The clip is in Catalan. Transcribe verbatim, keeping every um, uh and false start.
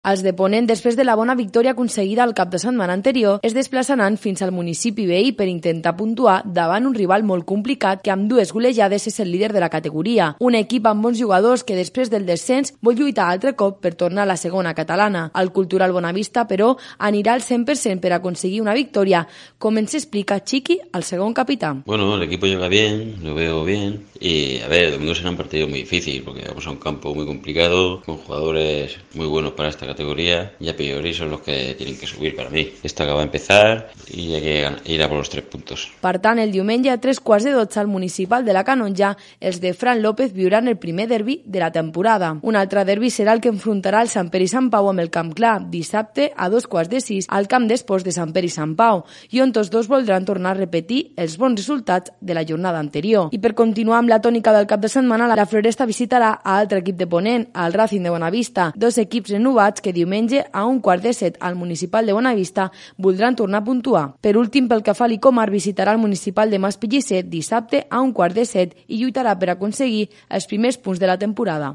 Els de Ponent, després de la bona victòria aconseguida al cap de setmana anterior, es desplaçaran fins al municipi veí per intentar puntuar davant un rival molt complicat que amb dues golejades és el líder de la categoria. Un equip amb bons jugadors que després del descens vol lluitar altre cop per tornar a la segona catalana. El Cultural Bonavista, però, anirà al cent per cent per aconseguir una victòria, com ens explica Chiqui, el segon capità. Bueno, el equipo llega bien, lo veo bien y a ver, el domingo será un partido muy difícil porque vamos a un campo muy complicado, con jugadores muy buenos para esta categoría y a priori son los que tienen que subir para mí. Esto acaba de empezar y hay que ir a por los tres puntos. Per tant, el diumenge a tres quarts de dotze al municipal de la Canonja, els de Fran López viuran el primer derbi de la temporada. Un altre derbi serà el que enfrontarà el Sant Pere i Sant Pau amb el Camp Clar, dissabte a dos quarts de sis al camp d'esports de Sant Pere i Sant Pau, i on tots dos voldran tornar a repetir els bons resultats de la jornada anterior. I per continuar amb la tònica del cap de setmana, la Floresta visitarà a altre equip de Ponent, al Racing de Bonavista, dos equips renovats que diumenge a un quart de set al municipal de Bonavista voldran tornar a puntuar. Per últim, pel que fa a l'Icomar, visitarà el municipal de Mas Pellicer dissabte a un quart de set i lluitarà per aconseguir els primers punts de la temporada.